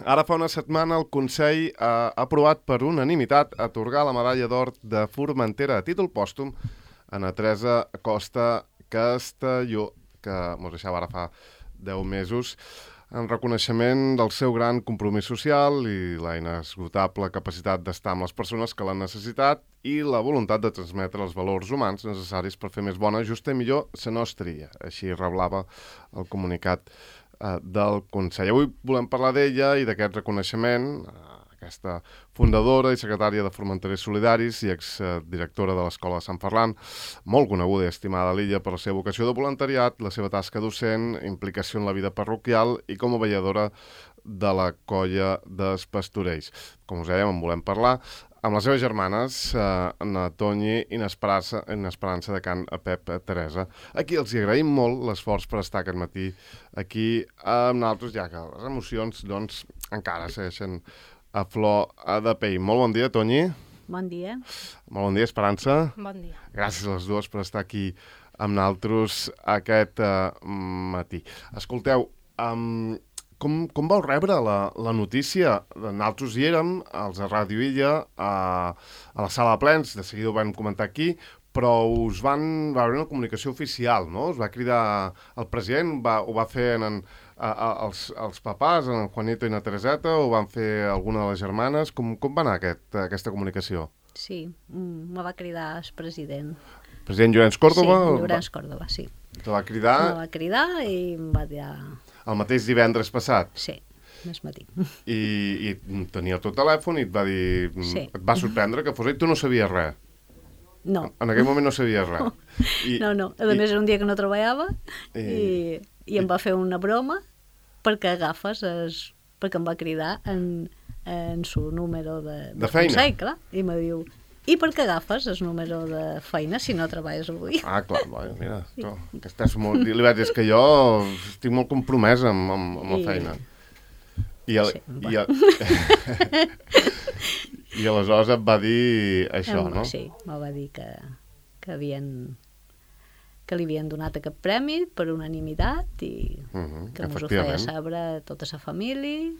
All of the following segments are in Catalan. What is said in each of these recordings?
Ara fa una setmana el Consell ha aprovat per unanimitat atorgar la medalla d'or de Formentera a títol pòstum a na Teresa Costa Castelló, que mos deixava ara fa 10 mesos, en reconeixement del seu gran compromís social i la inesgotable capacitat d'estar amb les persones que l'han necessitat i la voluntat de transmetre els valors humans necessaris per fer més bona, justa i millor la nostra. Així reblava el comunicat del Consell. Avui volem parlar d'ella i d'aquest reconeixement, aquesta fundadora i secretària de Formenterers Solidaris i exdirectora de l'Escola de Sant Ferran, molt coneguda i estimada a l'illa per la seva vocació de voluntariat, la seva tasca docent, implicació en la vida parroquial i com a vetlladora de la colla dels pastorells. Com us dèiem, en volem parlar amb les seves germanes, na Tonyi i na Esperança de Can Pep Teresa. Aquí els agraïm molt l'esforç per estar aquest matí aquí amb nosaltres, ja que les emocions doncs, encara segueixen a flor de pell. Molt bon dia, Tonyi. Bon dia. Molt bon dia, Esperança. Bon dia. Gràcies a les dues per estar aquí amb nosaltres aquest matí. Escolteu, com vau rebre la notícia? Nosaltres hi érem, els de Ràdio Illa, a la sala de plens, de seguida ho vam comentar aquí, però va haver una comunicació oficial, no? Us va cridar el president, ho va fer els papàs, en Juanito i na Tereseta, o van fer alguna de les germanes? Com va anar aquesta comunicació? Sí, me va cridar el president. President Llorenç Córdoba? Sí, Llorenç Córdoba, sí. Te va cridar? Me va cridar i em va dir... El mateix divendres passat? Sí, més matí. I tenia el teu telèfon i et va dir... Sí. Et va sorprendre que fos ell, tu no sabies res? No. En aquell moment no sabies res? No. A més, era un dia que no treballava i em va fer una broma perquè perquè em va cridar en su número de feina? Consell, clar. I me diu... I per què agafes el número de feina si no treballes avui? Ah, clar, mira, tu, que estàs molt... Li vaig dir, és que jo estic molt compromès amb la feina. I aleshores et va dir això, no? Sí, me va dir que li havien donat aquest premi per unanimitat i que mos ho feia saber a tota la família.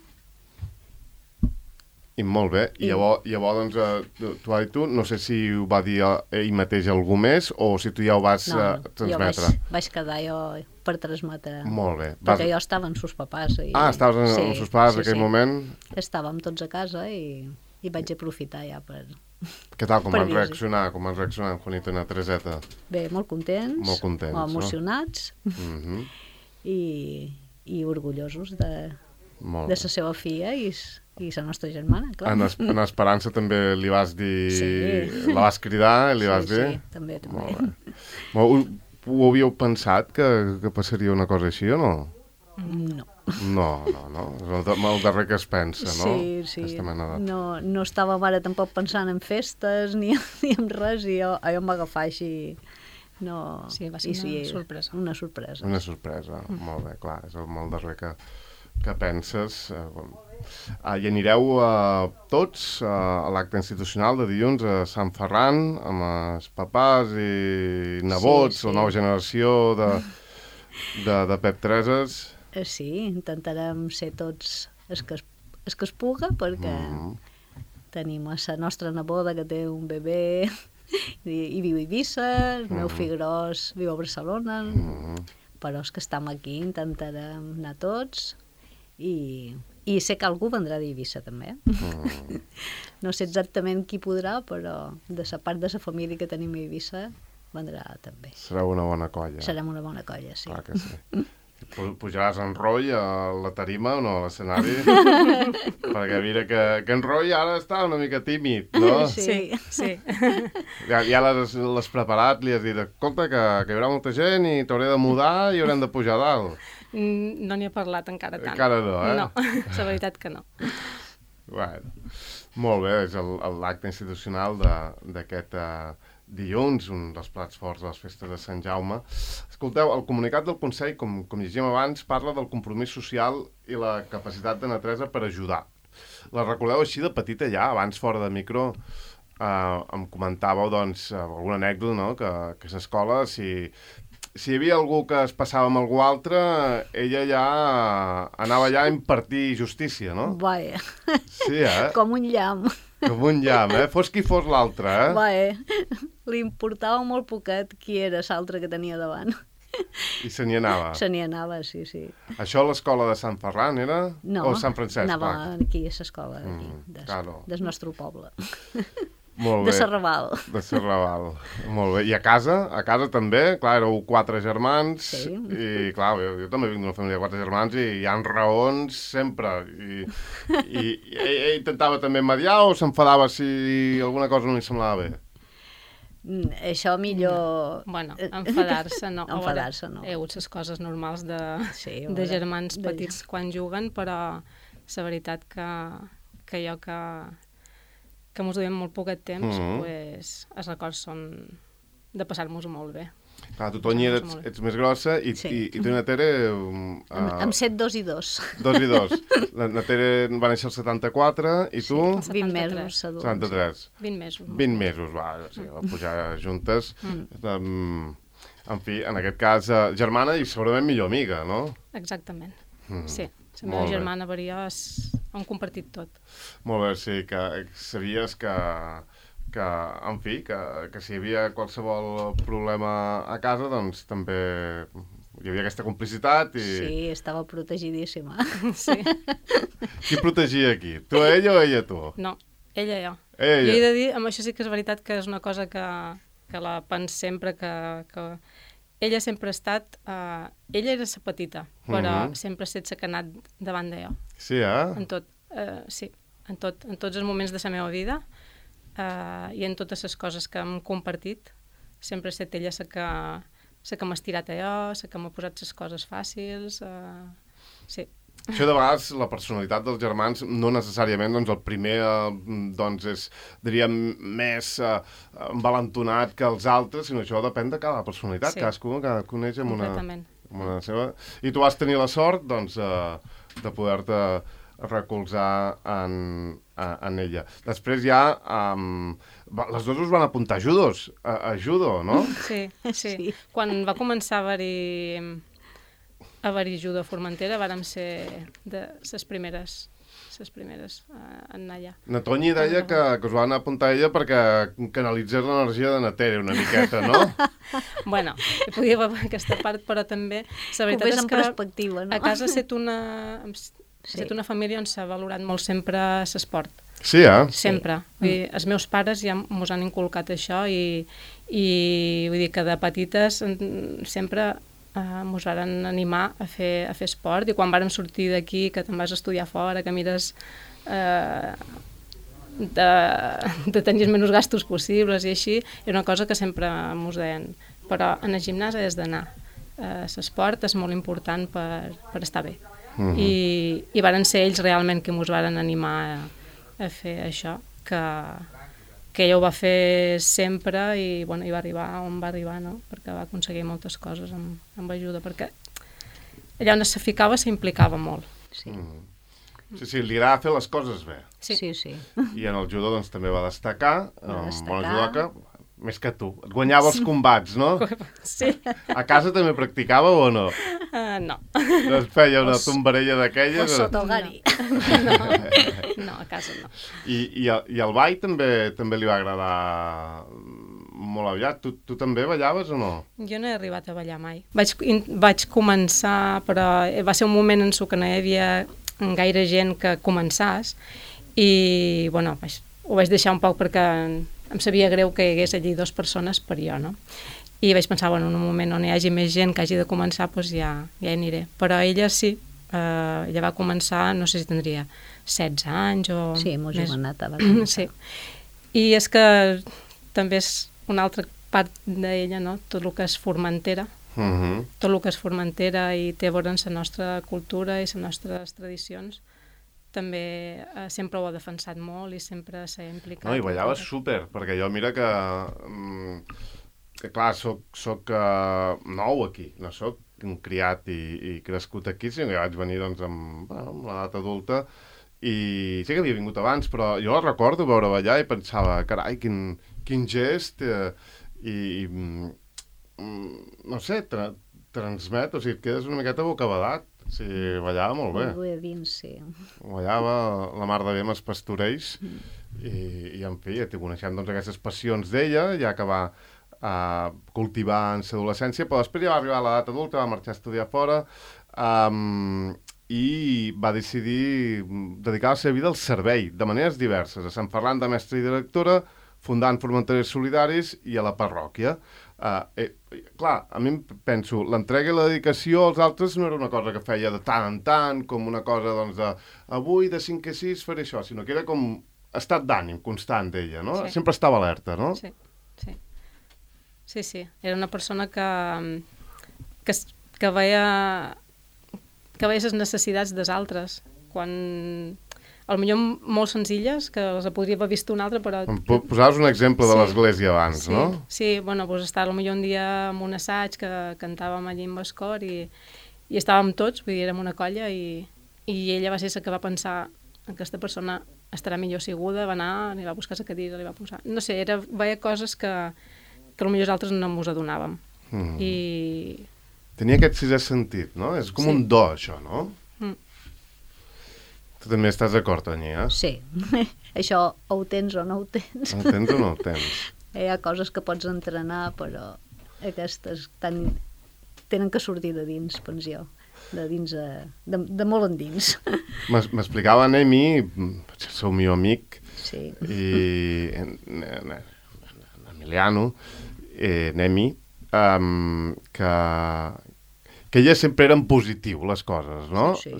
I molt bé. I llavors doncs, tu, no sé si ho va dir ell mateix algú més o si tu ja ho vas transmetre. Jo vaig quedar jo per transmetre. Molt bé. Perquè jo estava amb sus papàs. Estaves amb sus papàs en aquell moment? Estàvem tots a casa i vaig aprofitar ja per... Què tal, com van reaccionar en Juanito i na Tereseta? Bé, molt contents. Molt emocionats. No? I orgullosos de la seva filla i la nostra germana, clar. En Esperança també li vas dir... Sí. La vas cridar i li vas dir? Sí, també. Ho havíeu pensat que passaria una cosa així o no? No. No. És el darrer que es pensa, no? Sí. No estàvem ara tampoc pensant en festes ni en res i jo em va agafar així... No. Sí, va ser una sorpresa. Una sorpresa, molt bé, clar, és el molt darrer que penses. I anireu tots a l'acte institucional de dilluns a Sant Ferran amb els papàs i nebots, la nova generació de Pep Tereses. Sí, intentarem ser tots els que es puga perquè tenim la nostra neboda que té un bebè i viu a Eivissa, el meu fill gros viu a Barcelona, però els que estem aquí intentarem anar tots i sé que algú vendrà d'Eivissa també. No sé exactament qui podrà, però de la part de la família que tenim a Eivissa vendrà també. Serà una bona colla. Serem una bona colla, sí. Clar que sí. Pujaràs en Roy a la tarima o no, a l'escenari? Perquè mira que en Roy ara està una mica tímid, no? Sí. Ja l'has preparat, li has dit, escolta, que hi haurà molta gent i t'hauré de mudar i haurem de pujar a dalt. No n'hi ha parlat encara tant. Encara no, No, la veritat que no. Bueno, molt bé, és l'acte institucional d'aquest dilluns, un dels plats forts de les festes de Sant Jaume. Escolteu, el comunicat del Consell, com llegíem abans, parla del compromís social i la capacitat de na Teresa per ajudar. La recordeu així de petita ja, abans fora de micro, em comentàveu doncs, alguna anècdota, no?, que a l'escola, si si hi havia algú que es passava amb algú altre, ella ja anava ja a impartir justícia, no? Vaja, Sí, com un llamp. Com un llamp, Fos qui fos l'altre, Vaja, li importava molt poquet qui era l'altre que tenia davant. I se n'hi anava. Se n'hi anava, sí. Això a l'escola de Sant Ferran era? No, O Sant Francesc? anava clar. aquí a l'escola d'aquí, claro. del nostre poble. Molt bé. De Serraval. De Serraval. Molt bé. I a casa també, clar, éreu 4 germans, Sí. i clar, jo també vinc d'una família de 4 germans i hi ha raons sempre. I ell intentava també mediar o s'enfadava si alguna cosa no li semblava bé? Això millor... Bueno, enfadar-se no. Enfadar-se no. Hi ha hagut les coses normals de veure, germans petits quan juguen, però la veritat que jo que mos duem molt poquet temps, pues, els records són de passar-nos molt bé. Clar, tu, Tonya, ets més grossa i tu, na Tere... Amb 7, 2 i 2. 2 i 2. La Tere va néixer el 74 i tu... 20 mesos adults. 73. 20 mesos. 20 mesos, va, sí, va pujar juntes. En fi, en aquest cas, germana i segurament millor amiga, no? Exactament, sí. La meva germana varia, hem compartit tot. Molt bé, sí, que sabies que en fi, que si hi havia qualsevol problema a casa, doncs també hi havia aquesta complicitat i... Sí, estava protegidíssima. Sí. Qui protegia aquí? Tu a ella o ella a tu? No, ella i jo. Ella. Jo he de dir, amb això sí que és veritat que és una cosa que la penso sempre, que ella sempre ha estat... ella era la petita, però sempre ha estat la que ha anat davant de jo. Sí, En tot, sí, en tots els moments de la meva vida i en totes les coses que hem compartit, sempre ha estat ella la que m'ha estirat a jo, la que m'ha posat les coses fàcils, sí. Això de vegades, la personalitat dels germans, no necessàriament, doncs el primer, doncs és, diríem, més envalentonat que els altres, sinó això depèn de cada personalitat, Sí. cadascú coneix amb Completament. una seva... I tu vas tenir la sort, doncs, de poder-te recolzar en ella. Després ja, les dues us van apuntar a judo, no? Sí. Quan va començar a haver-hi judo a Formentera, vàrem ser de les primeres a anar allà. Na Tonya deia que us van apuntar a ella perquè canalitzés l'energia de na Tere una miqueta, no? Bueno, podia haver aquesta part, però també la veritat és que perspectiva, no? a casa ha estat una família on s'ha valorat molt sempre l'esport. Sí, Sempre. Vull dir, els meus pares ja mos han inculcat això i vull dir que de petites sempre mos varen animar a fer esport, i quan vàrem sortir d'aquí, que te'n vas estudiar fora, que mires de tenir els menys gastos possibles i així, era una cosa que sempre mos deien. Però en el gimnàs has d'anar. L'esport és molt important per estar bé. I varen ser ells realment que mos varen animar a fer això, que ella ho va fer sempre i, bueno, i va arribar on va arribar, no? Perquè va aconseguir moltes coses amb ajuda, perquè allà on se ficava s'implicava molt. Sí. Sí, li agrada fer les coses bé. Sí. I en el judo doncs, també va destacar, bona judoca, més que tu. Et guanyava els combats, no? Sí. A casa també practicàveu o no? No. Es feia una tombarella O d'aquelles? sota el gari. No, a casa no. I el ball també li va agradar molt aviat. Tu també ballaves o no? Jo no he arribat a ballar mai. Vaig començar, però va ser un moment en què no hi havia gaire gent que començàs i, bueno, ho vaig deixar un poc perquè em sabia greu que hi hagués allí 2 persones per jo, no? I vaig pensar, bueno, en un moment on hi hagi més gent que hagi de començar, doncs ja hi aniré. Però ella sí, ella va començar, no sé si tindria 16 anys o... Sí, molt més. joveneta va començar. Sí. I és que també és una altra part d'ella, no? Tot el que és Formentera. Tot el que és Formentera i té a veure amb la nostra cultura i les nostres tradicions. També sempre ho ha defensat molt i sempre s'ha implicat. No, i ballava súper, perquè jo mira que clar, soc nou aquí, no soc criat i crescut aquí, sinó que vaig venir doncs, amb l'edat adulta i sí que havia vingut abans, però jo recordo veure ballar i pensava, carai, quin gest i no sé, transmet, o sigui, et quedes una miqueta bocabadat. O sigui, ballava molt bé. Molt bé dins, sí. Ballava la mar de bé amb els pastorells i en fi, coneixem doncs, aquestes passions d'ella, ja que va cultivar en l'adolescència, però després ja va arribar a l'edat adulta, va marxar a estudiar fora i va decidir dedicar la seva vida al servei, de maneres diverses, a Sant Ferran de mestra i directora, fundant Formenterers Solidaris i a la parròquia. Clar, a mi penso, l'entrega i la dedicació als altres no era una cosa que feia de tant en tant, com una cosa, doncs, de avui de 5 a 6 faré això, sinó que era com estat d'ànim constant d'ella, no? Sí. Sempre estava alerta, no? Sí, sí. Sí. Era una persona que veia les necessitats dels altres, quan potser molt senzilles, que les podria haver vist un altre, però... Posaves un exemple de l'església abans, sí, no? Sí, bueno, doncs estar potser un dia en un assaig que cantàvem allí amb el cor i estàvem tots, vull dir, érem una colla i ella va ser la que va pensar aquesta persona estarà millor asseguda, va anar, li va buscar la cadira, li va posar... No sé, veia coses que potser els altres no ens adonàvem. I... Tenia aquest sisè sentit, no? És com un do, això, no? Tu també estàs d'acord, Tania? Sí. Això o ho tens o no ho tens. Ho tens o no ho tens? Hi ha coses que pots entrenar, però aquestes tenen que sortir de dins, penso jo. De dins, de molt endins. M'explicava Nemi, sou meu amic, sí. I Emiliano, Nemi, que ella sempre era en positiu, les coses, no? Sí.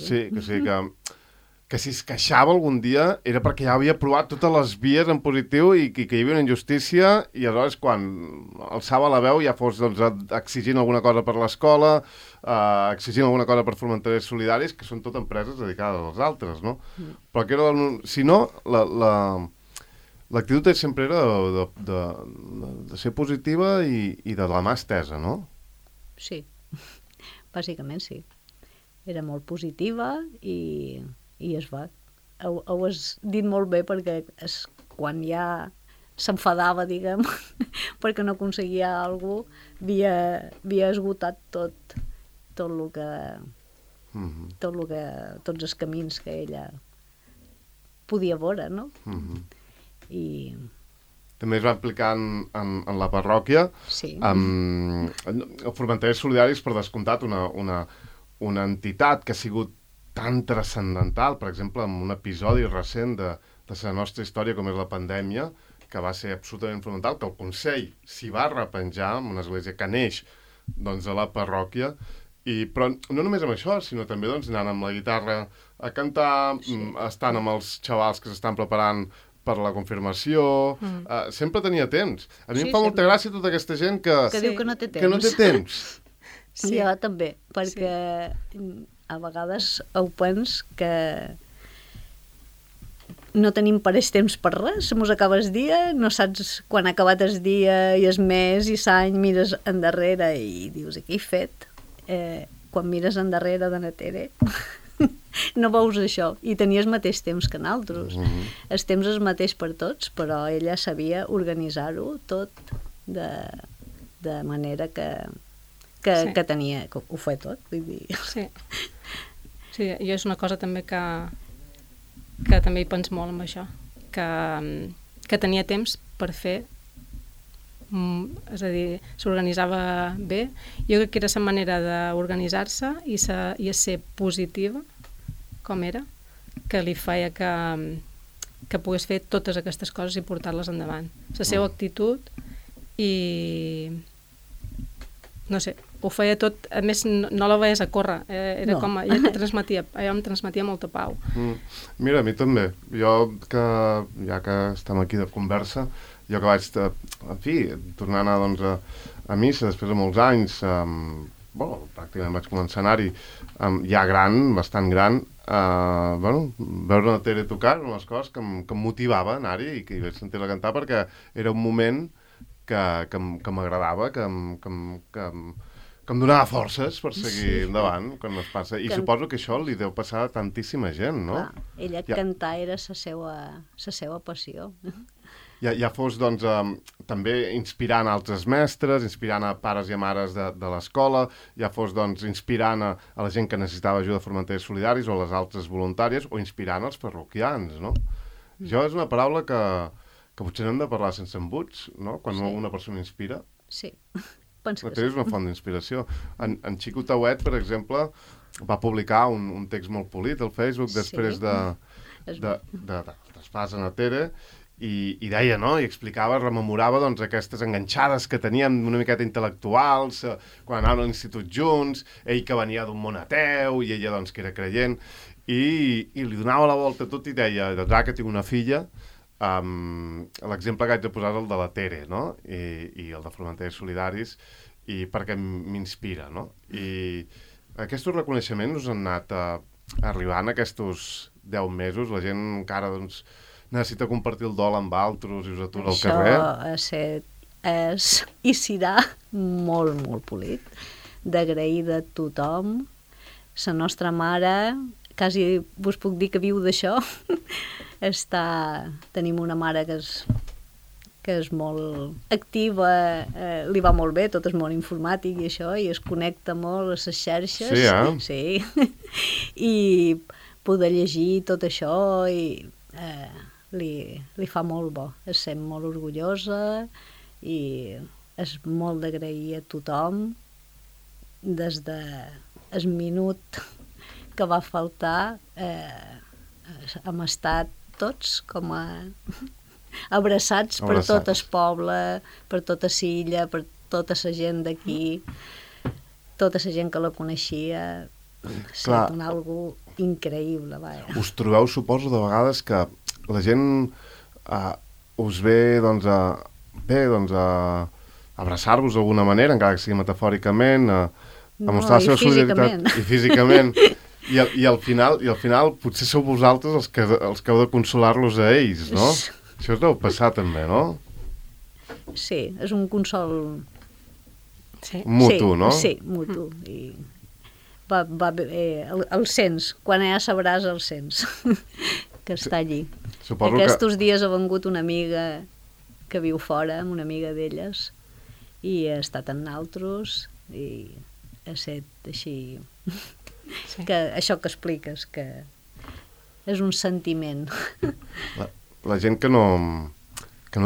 Que si es queixava algun dia era perquè ja havia provat totes les vies en positiu i que hi havia una injustícia i aleshores quan alçava la veu ja fos doncs, exigint alguna cosa per l'escola, exigint alguna cosa per Formenterers Solidaris, que són tot empreses dedicades als altres, no? Però que era, si no, l'actitud sempre era de ser positiva i de la mà estesa, no? Sí, bàsicament sí. Era molt positiva i es va. Ho has dit molt bé perquè quan ja s'enfadava, diguem, perquè no aconseguia alguna cosa, havia esgotat tot el que... tots els camins que ella podia veure, no? I... També es va aplicar en la parròquia. Sí. El Formenterers Solidaris, per descomptat, una entitat que ha sigut tan transcendental, per exemple, en un episodi recent de la nostra història, com és la pandèmia, que va ser absolutament fonamental, que el Consell s'hi va repenjar en una església que neix doncs, a la parròquia, però no només amb això, sinó també doncs, anant amb la guitarra a cantar, estant amb els xavals que s'estan preparant per la confirmació, sempre tenia temps. A mi em fa molta gràcia tota aquesta gent que diu que no té temps. Que no té temps. Sí. Jo també, perquè a vegades ho pens que no tenim pareix temps per res, se mos acaba el dia, no saps quan ha acabat el dia i el mes i l'any, mires endarrere i dius, què he fet? Quan mires endarrere de Natere no veus això, i tenies el mateix temps que nosaltres. El temps és el mateix per tots, però ella sabia organitzar-ho tot de manera que tenia, que ho feia tot, vull dir. Sí, jo és una cosa també que també hi penso molt amb això, que tenia temps per fer, és a dir, s'organitzava bé. Jo crec que era la manera d'organitzar-se i ser positiva, com era, que li feia que pogués fer totes aquestes coses i portar-les endavant. La seva actitud i... no sé, ho feia tot, a més no la veies a córrer, era com, ella em transmetia molta pau. Mira, a mi també, jo que, ja que estem aquí de conversa, jo que vaig, en fi, tornar a anar doncs, a missa després de molts anys, pràcticament vaig començar a anar-hi ja gran, bastant gran, veure la Tere tocar eren les coses que em motivava a anar-hi i que hi vaig sentir-la cantar perquè era un moment que m'agradava, que em donava forces per seguir endavant quan es passa. I suposo que això li deu passar a tantíssima gent, no? Clar, ella cantar era la seva passió. Ja fos, doncs, també inspirant altres mestres, inspirant a pares i a mares de l'escola, ja fos, doncs, inspirant a la gent que necessitava ajuda a Formenters Solidaris o les altres voluntàries, o inspirant els parroquians, no? Això és una paraula que potser no hem de parlar sense embuts, no? Quan una persona inspira. Sí, penso que sí. És una font d'inspiració. En Xico Tauet, per exemple, va publicar un text molt polit al Facebook després de Traspàs a Tere, i deia, no?, i explicava, rememorava, doncs, aquestes enganxades que teníem una miqueta intel·lectuals, quan anaven a l'institut junts, ell que venia d'un món ateu, i ella, doncs, que era creient, i li donava la volta a tot i deia, doncs, que tinc una filla, l'exemple que haig de posar és el de la Tere, no?, i el de Formenters Solidaris, i perquè m'inspira, no? I aquests reconeixements us han anat arribant aquests 10 mesos, la gent encara, doncs, necessita compartir el dol amb altres i us atura al carrer? Això és i serà molt, molt polit. D'agrair de tothom. La nostra mare, quasi vos puc dir que viu d'això. Tenim una mare que és molt activa, li va molt bé, tot és molt informàtic i això, i es connecta molt a les xarxes. Sí. I poder llegir tot això i... li fa molt bo, es sent molt orgullosa i és molt d'agrair a tothom des del minut que va faltar hem estat tots com a abraçats per tot el poble, per tota l'illa, per tota la gent d'aquí, tota la gent que la coneixia. És algo increïble. Us trobeu, suposo, de vegades que la gent us ve, doncs, a abraçar-vos d'alguna manera, encara que sigui metafòricament, a mostrar la seva solidaritat. I físicament. I al final potser sou vosaltres els que heu de consolar-los a ells, no? Això us deu passar també, no? Sí, és un consol... mutu, no? Sí, mutu. I el sents, quan ja sabràs el sents, que està allí. Aquests dies ha vengut una amiga que viu fora, una amiga d'elles, i ha estat amb naltros, i ha estat així... Que això que expliques, que és un sentiment. La gent que no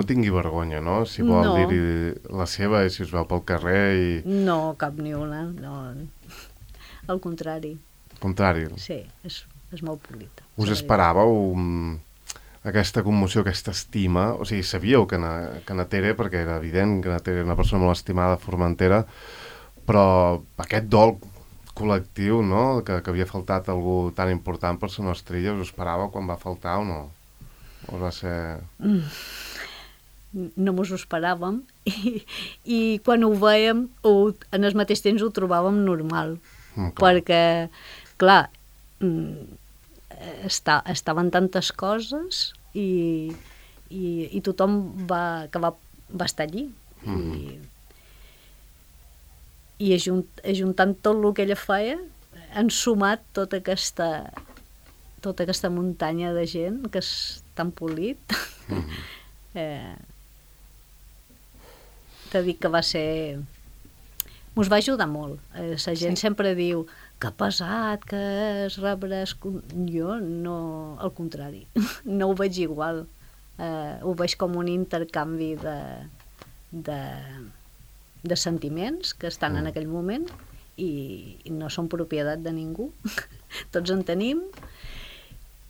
tingui vergonya, no? Si vol dir-hi la seva i si us veu pel carrer i... No, cap ni una, no. Al contrari. Sí, és molt polita. Us esperàveu aquesta commoció, aquesta estima? O sigui, sabíeu que na Tere, perquè era evident que na Tere era una persona molt estimada a Formentera, però aquest dol col·lectiu, no?, que havia faltat algú tan important per la nostra illa, us esperàveu quan va faltar o no? O va ser... No mos ho esperàvem i quan ho vèiem en el mateix temps ho trobàvem normal, perquè, clar, estaven tantes coses i tothom va estar allí i ajuntant tot el que ella feia han sumat tota aquesta muntanya de gent que és tan polit. T'he dit que va ser... Mos va ajudar molt. La gent sempre diu que pesat, que es rebràs... Jo no... Al contrari. No ho veig igual. Ho veig com un intercanvi de sentiments que estan en aquell moment i no són propietat de ningú. Tots en tenim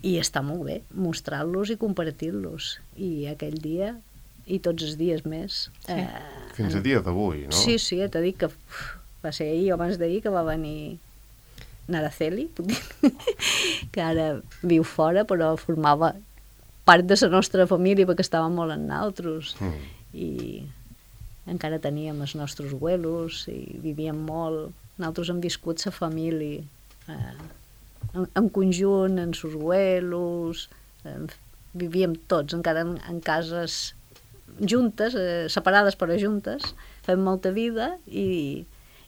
i està molt bé mostrar-los i compartir-los. I aquell dia i tots els dies més. Fins a dia d'avui, no? Sí, t'he dit que va ser ahir o abans d'ahir que va venir Naraceli, que ara viu fora, però formava part de la nostra família perquè estava molt en nosaltres. I encara teníem els nostres abuelos i vivíem molt. Nosaltres hem viscut la família en conjunt, amb els abuelos, vivíem tots, encara en cases juntes, separades però juntes, fem molta vida i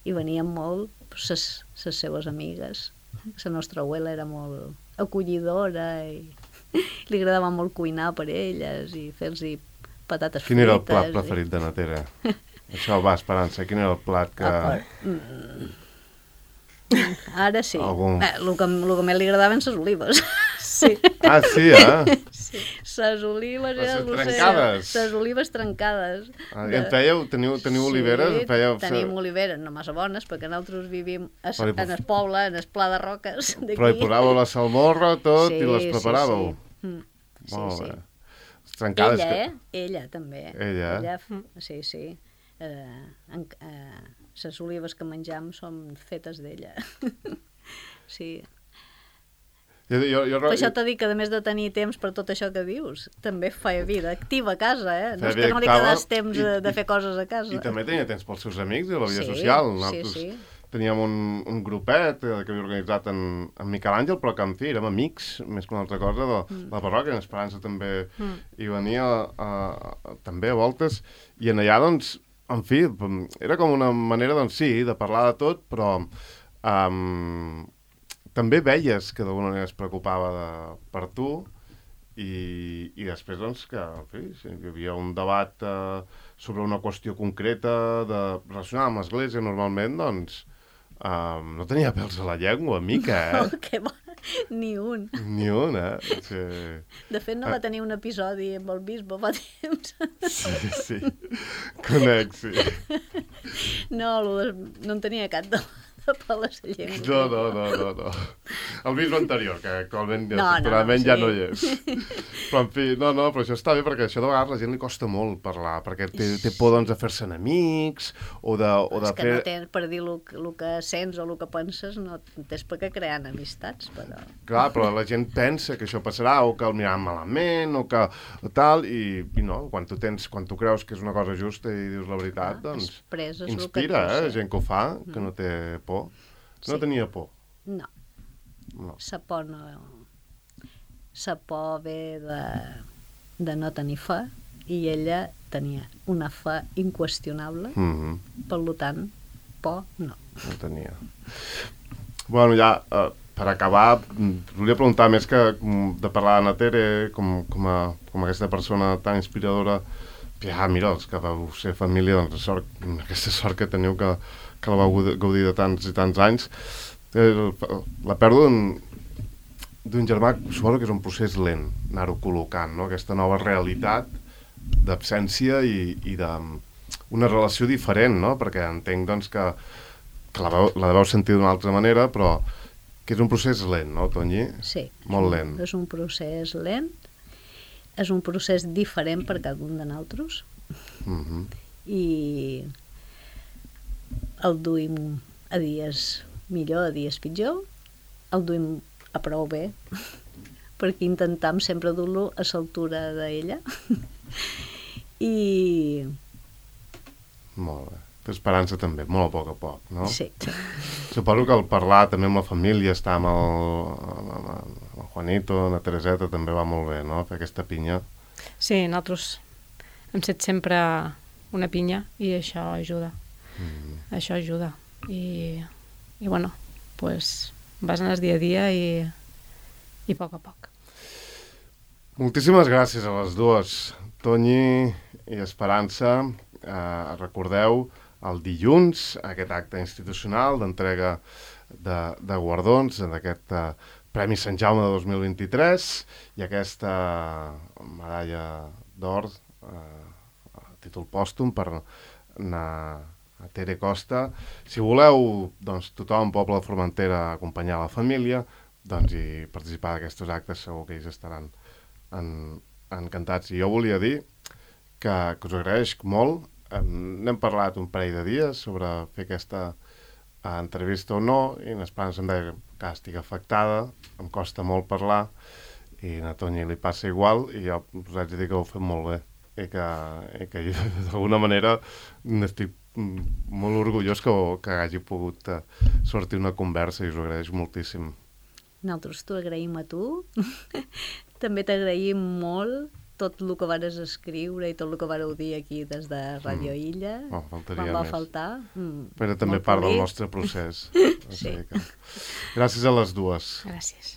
i venien molt les seves amigues. La nostra abuela era molt acollidora i li agradava molt cuinar per elles i fer-los patates frites. Quin era el plat preferit de na Tere? Això va, Esperança, quin era el plat que... Ara sí. Algun... El que més li agradaven les olives. Sí. Ah, sí, Sí. Les olives... Les trencades. Les olives trencades. I en fèieu? Teniu oliveres? Tenim oliveres, no massa bones, perquè nosaltres vivim en el poble, en el Pla de Roques d'aquí. Però hi posàveu la salmorra, tot, i les preparàveu? Sí. Molt bé. Les trencades Ella, ella també. Ella? Sí. Les olives que menjam són fetes d'ella. Sí. Jo... Per això t'he dit que, a més de tenir temps per tot això que dius, també feia vida activa a casa, eh? No és que no li quedés temps de fer coses a casa. I també tenia temps pels seus amics i la vida social. Nosaltres teníem un grupet que havia organitzat en Miquel Àngel, però que, en fi, érem amics, més que una altra cosa, de la parròquia. En Esperança també hi venia també a voltes. I en allà, doncs, en fi, era com una manera, doncs sí, de parlar de tot, però... també veies que d'alguna manera es preocupava per tu i després, doncs, que en fi, si hi havia un debat sobre una qüestió concreta relacionada amb l'Església, normalment, doncs, no tenia pèls a la llengua, mica, Oh, que bo! Ni un. Ni un, Sí. De fet, no va tenir un episodi amb el bisbe fa temps. Sí. Conec, sí. No en tenia cap de peles a llengua. No. El bisbe anterior, que actualment sí. Ja no hi és. Però, en fi, però això està bé, perquè això de vegades a la gent li costa molt parlar, perquè té por, doncs, de fer-se enemics, o de És que no tens per dir el que sents o el que penses, no tens per què crear amistats, però... Clar, però la gent pensa que això passarà, o que el miraran malament, o que tal, i no, quan tu creus que és una cosa justa i dius la veritat, doncs inspira, gent que ho fa, que no té por. No tenia por. No. Sa por no... Sa por ve de no tenir fe, i ella tenia una fe inqüestionable, per tant, por no. No tenia. Bueno, ja, per acabar, volia preguntar, més que de parlar d'Anna Tere, com aquesta persona tan inspiradora, mira, els que vau ser família, doncs aquesta sort que teniu que la vau gaudir de tants i tants anys. La pèrdua d'un germà, suposo que és un procés lent, anar-ho col·locant, no? Aquesta nova realitat d'absència i d'una relació diferent, no? Perquè entenc, doncs, que la deveu sentir d'una altra manera, però que és un procés lent, no, Tonyi? Sí. Molt lent. És un procés lent, és un procés diferent per cada un de nosaltres, i el duim a dies millor, a dies pitjor, el duim a prou bé, perquè intentam sempre dur-lo a l'altura d'ella. I... Molt bé. Esperança també, molt a poc, no? Sí. Suposo que al parlar també amb la família, estar amb el Juanito, la Tereseta, també va molt bé, no? Fer aquesta pinya. Sí, nosaltres hem set sempre una pinya i això ajuda. Això ajuda. I bueno, pues vas anar dia a dia i a poc. Moltíssimes gràcies a les dues, Tonyi i Esperança. Recordeu el dilluns aquest acte institucional d'entrega de guardons d'aquest Premi Sant Jaume de 2023 i aquesta medalla d'or a títol pòstum per a Tere Costa. Si voleu, doncs, tothom, poble de Formentera, acompanyar la família, doncs, i participar d'aquestos actes, segur que ells estaran encantats. I jo volia dir que us agraeix molt. N'hem parlat un parell de dies sobre fer aquesta entrevista o no, i en Esperança em deia que estic afectada, em costa molt parlar, i a Tonyi li passa igual, i jo us haig de dir que ho he fet molt bé, i que d'alguna manera n'estic molt orgullós que hagi pogut sortir una conversa, i us ho agraeix moltíssim. Nosaltres t'ho agraïm a tu. També t'agraïm molt tot el que vares escriure i tot el que vareu dir aquí des de Radio Illa. Faltaria me'n va més. faltar. Però també molt part del polit. nostre procés. Sí. Gràcies a les dues. Gràcies.